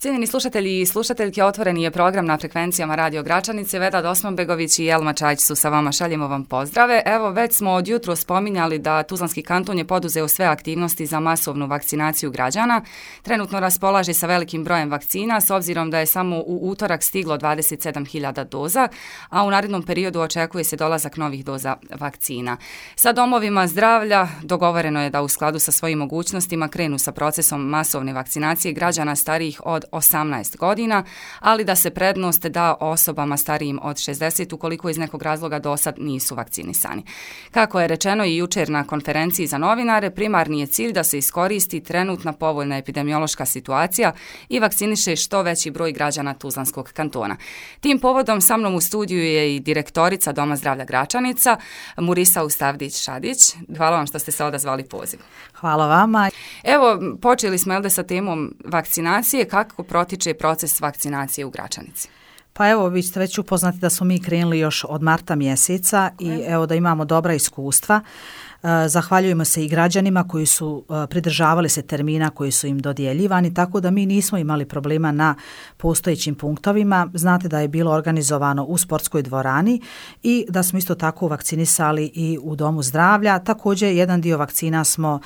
Cijenjeni slušatelji i slušateljke, otvoreni je program na frekvencijama Radio Gračanice. Vedad Osmanbegović i Jelma Čajić su sa vama, šaljemo vam pozdrave. Evo, već smo od jutro spominjali da Tuzlanski kanton je poduzeo sve aktivnosti za masovnu vakcinaciju građana. Trenutno raspolaže sa velikim brojem vakcina, s obzirom da je samo u utorak stiglo 27.000 doza, a u narednom periodu očekuje se dolazak novih doza vakcina. Sa domovima zdravlja dogovoreno je da u skladu sa svojim mogućnostima krenu sa procesom masovne vakcinacije građana starijih od 18 godina, ali da se prednost da osobama starijim od 60 ukoliko iz nekog razloga do sad nisu vakcinisani. Kako je rečeno i jučer na konferenciji za novinare, primarni je cilj da se iskoristi trenutna povoljna epidemiološka situacija i vakciniše što veći broj građana Tuzlanskog kantona. Tim povodom sa mnom u studiju je i direktorica Doma zdravlja Gračanica, Murisa Ustavdić-Šadić. Hvala vam što ste se odazvali pozivu. Hvala vama. Evo, počeli smo sa temom vakcinacije. Kako protiče proces vakcinacije u Gračanici? Pa evo, vi ste već upoznati da smo mi krenuli još od marta mjeseca i evo da imamo dobra iskustva. Zahvaljujemo se i građanima koji su pridržavali se termina koji su im dodjeljivani, tako da mi nismo imali problema na postojećim punktovima. Znate da je bilo organizovano u sportskoj dvorani i da smo isto tako vakcinisali i u Domu zdravlja. Također jedan dio vakcina smo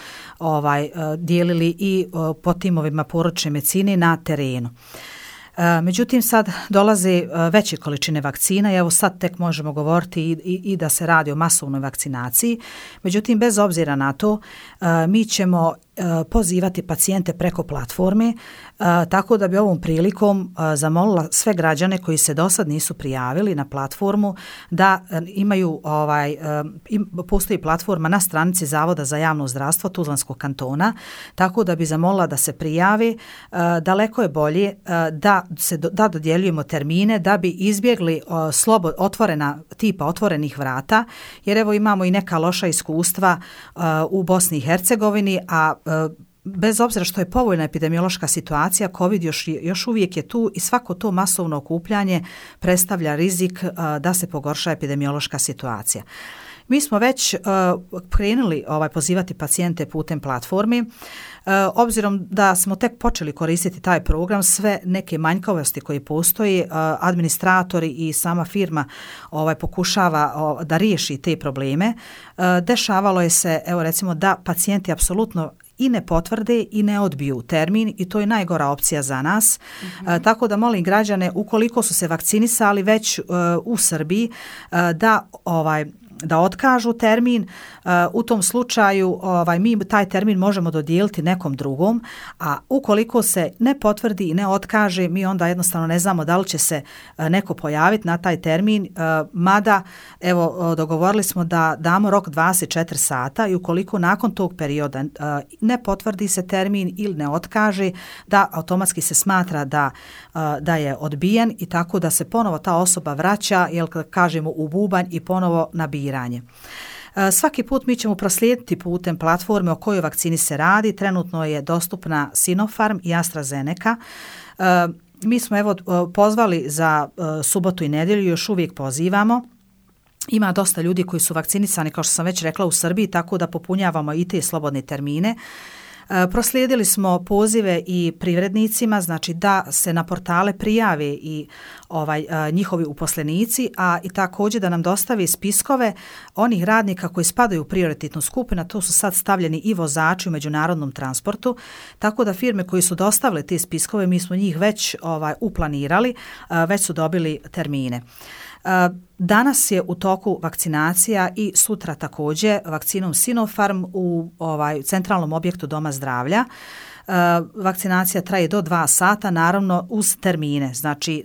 dijelili i po timovima porodične medicine na terenu. Međutim, sad dolaze veće količine vakcina i evo sad tek možemo govoriti i da se radi o masovnoj vakcinaciji. Međutim, bez obzira na to, mi ćemo pozivati pacijente preko platforme, tako da bi ovom prilikom zamolila sve građane koji se do sad nisu prijavili na platformu da imaju, postoji platforma na stranici Zavoda za javno zdravstvo Tuzlanskog kantona, tako da bi zamolila da se prijavi. Daleko je bolje da dodjeljujemo termine da bi izbjegli tipa otvorenih vrata, jer evo imamo i neka loša iskustva u Bosni i Hercegovini, a bez obzira što je povoljna epidemiološka situacija, COVID još uvijek je tu i svako to masovno okupljanje predstavlja rizik da se pogorša epidemiološka situacija. Mi smo već krenuli pozivati pacijente putem platformi. Obzirom da smo tek počeli koristiti taj program, sve neke manjkavosti koje postoji, administratori i sama firma pokušava da riješi te probleme. Dešavalo je se, evo recimo, da pacijenti apsolutno i ne potvrde i ne odbiju termin i to je najgora opcija za nas. Tako da molim građane, ukoliko su se vakcinisali već u Srbiji, da otkažu termin. U tom slučaju mi taj termin možemo dodijeliti nekom drugom, a ukoliko se ne potvrdi i ne otkaže, mi onda jednostavno ne znamo da li će se neko pojaviti na taj termin, mada evo dogovorili smo da damo rok 24 sata i ukoliko nakon tog perioda ne potvrdi se termin ili ne otkaže, da automatski se smatra da je odbijen i tako da se ponovo ta osoba vraća, jel kažemo, u bubanj i ponovo na biranje. Svaki put mi ćemo proslijediti putem platforme o kojoj vakcini se radi. Trenutno je dostupna Sinopharm i AstraZeneca. Mi smo pozvali za subotu i nedjelju, još uvijek pozivamo. Ima dosta ljudi koji su vakcinisani, kao što sam već rekla, u Srbiji, tako da popunjavamo i te slobodne termine. Proslijedili smo pozive i privrednicima, znači da se na portale prijave i njihovi uposlenici, a i također da nam dostavi spiskove onih radnika koji spadaju u prioritetnu skupinu. To su sad stavljeni i vozači u međunarodnom transportu, tako da firme koji su dostavile te spiskove, mi smo njih već uplanirali, već su dobili termine. Danas je u toku vakcinacija i sutra također vakcinom Sinopharm u centralnom objektu Doma zdravlja. Vakcinacija traje do 2 sata, naravno uz termine, znači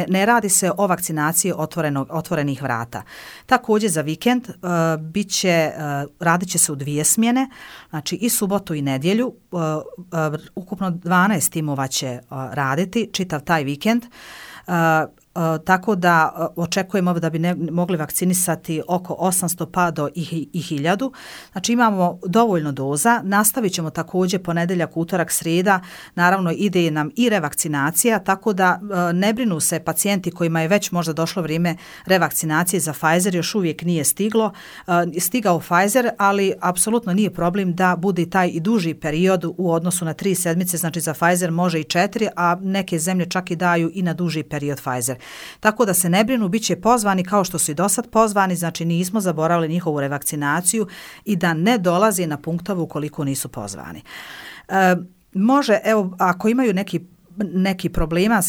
ne radi se o vakcinaciji otvorenih vrata. Također za vikend radit će se u 2 smjene, znači i subotu i nedjelju, ukupno 12 timova će raditi čitav taj vikend. tako da očekujemo da bi mogli vakcinisati oko 800 pa do i 1000. Znači imamo dovoljno doza, nastavit ćemo također ponedjeljak, utorak, srijeda, naravno ide nam i revakcinacija, tako da ne brinu se pacijenti kojima je već možda došlo vrijeme revakcinacije za Pfizer, još uvijek nije stigao Pfizer, ali apsolutno nije problem da bude taj i duži period u odnosu na 3 sedmice, znači za Pfizer može i 4, a neke zemlje čak i daju i na duži period Pfizer. Tako da se ne brinu, bit će pozvani kao što su i do sad pozvani, znači nismo zaboravili njihovu revakcinaciju i da ne dolazi na punktove ukoliko nisu pozvani. Može, evo, ako imaju neki problema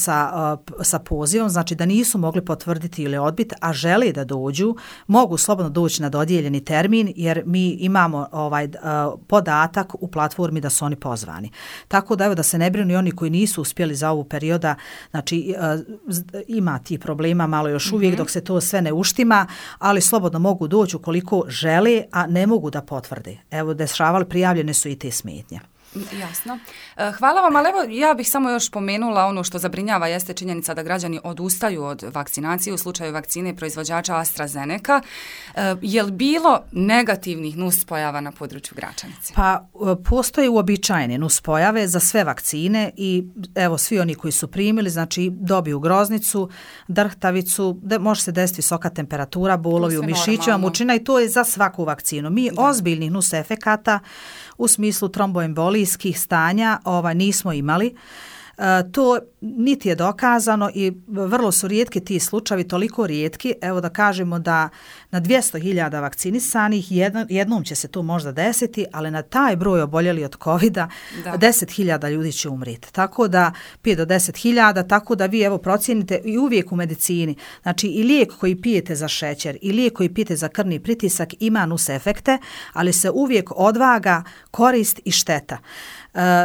sa pozivom, znači da nisu mogli potvrditi ili odbiti, a žele da dođu, mogu slobodno doći na dodijeljeni termin, jer mi imamo podatak u platformi da su oni pozvani. Tako da evo, da se ne brinu i oni koji nisu uspjeli za ovu perioda, znači ima ti problema malo još uvijek dok se to sve ne uštima, ali slobodno mogu doći ukoliko žele, a ne mogu da potvrde. Evo, prijavljene su i te smetnje. Jasno. Hvala vam, ali evo ja bih samo još pomenula ono što zabrinjava jeste činjenica da građani odustaju od vakcinacije u slučaju vakcine proizvođača AstraZeneca. Je li bilo negativnih nuspojava na području Gračanice? Pa postoje uobičajene nuspojave za sve vakcine i evo svi oni koji su primili, znači dobiju groznicu, drhtavicu, može se desiti visoka temperatura, bolovi u mišićima, mučina i to je za svaku vakcinu. Mi ozbiljnih nusefekata u smislu tromboembolijskih stanja nismo imali. To niti je dokazano i vrlo su rijetki ti slučajevi, toliko rijetki, evo da kažemo da na 200.000 vakcinisanih jednom će se to možda desiti, ali na taj broj oboljeli od covida 10.000 ljudi će umriti. Tako da 5 do 10.000, tako da vi evo procijenite i uvijek u medicini, znači i lijek koji pijete za šećer i lijek koji pijete za krvni pritisak ima nusefekte, ali se uvijek odvaga korist i šteta.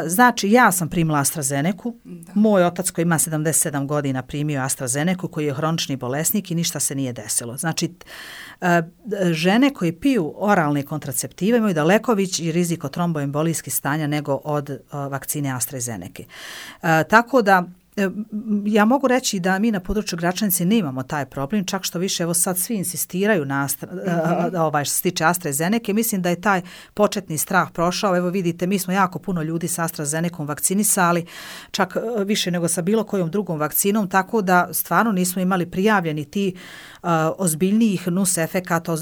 Znači, ja sam primila AstraZenecu, moj otac koji ima 77 godina primio AstraZenecu, koji je hronični bolesnik i ništa se nije desilo. Znači, žene koje piju oralne kontraceptive imaju daleko veći rizik od tromboembolijskih stanja nego od vakcine AstraZeneca. Tako da, ja mogu reći da mi na području Gračanice nemamo taj problem, čak što više evo sad svi insistiraju na što se tiče AstraZeneca. Mislim da je taj početni strah prošao. Evo vidite, mi smo jako puno ljudi sa AstraZenecom vakcinisali, čak više nego sa bilo kojom drugom vakcinom, tako da stvarno nismo imali prijavljeni ti ozbiljnijih nusefekata,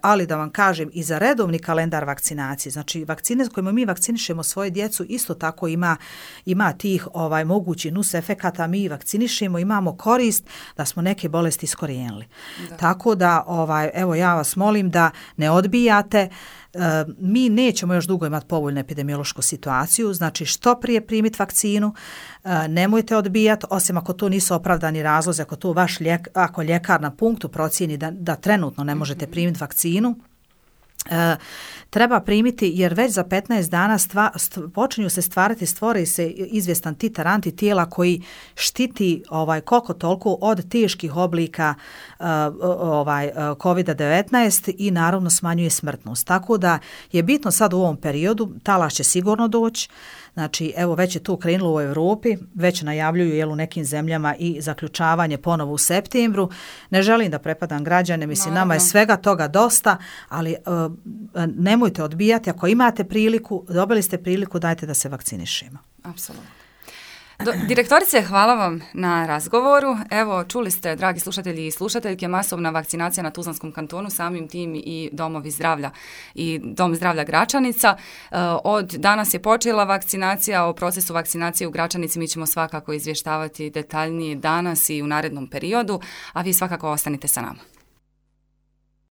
ali da vam kažem i za redovni kalendar vakcinacije, znači vakcine s kojima mi vakcinišemo svoje djecu isto tako ima tih mogućih nusefekata, mi vakcinišemo, imamo korist da smo neke bolesti iskorijenili. Tako da evo ja vas molim da ne odbijate. Mi nećemo još dugo imati povoljnu epidemiološku situaciju, znači što prije primiti vakcinu, nemojte odbijati, osim ako to nisu opravdani razlozi, ako to ako ljekar na punktu procijeni da trenutno ne možete primiti vakcinu, treba primiti jer već za 15 dana počinju se stvori se izvjestan titar antitijela koji štiti koliko toliko od teških oblika COVID-19 i naravno smanjuje smrtnost. Tako da je bitno sad u ovom periodu, talas će sigurno doći. Znači, evo već je to krenulo u Europi, već najavljuju u nekim zemljama i zaključavanje ponovo u septembru. Ne želim da prepadam građane, mislim, nama je svega toga dosta, ali nemojte odbijati. Ako imate priliku, dobili ste priliku, dajte da se vakcinišemo. Apsolutno. Direktorice, hvala vam na razgovoru. Evo, čuli ste, dragi slušatelji i slušateljke, masovna vakcinacija na Tuzlanskom kantonu, samim tim i domovi zdravlja i Dom zdravlja Gračanica. Od danas je počela vakcinacija, o procesu vakcinacije u Gračanici mi ćemo svakako izvještavati detaljnije danas i u narednom periodu, a vi svakako ostanite sa nama.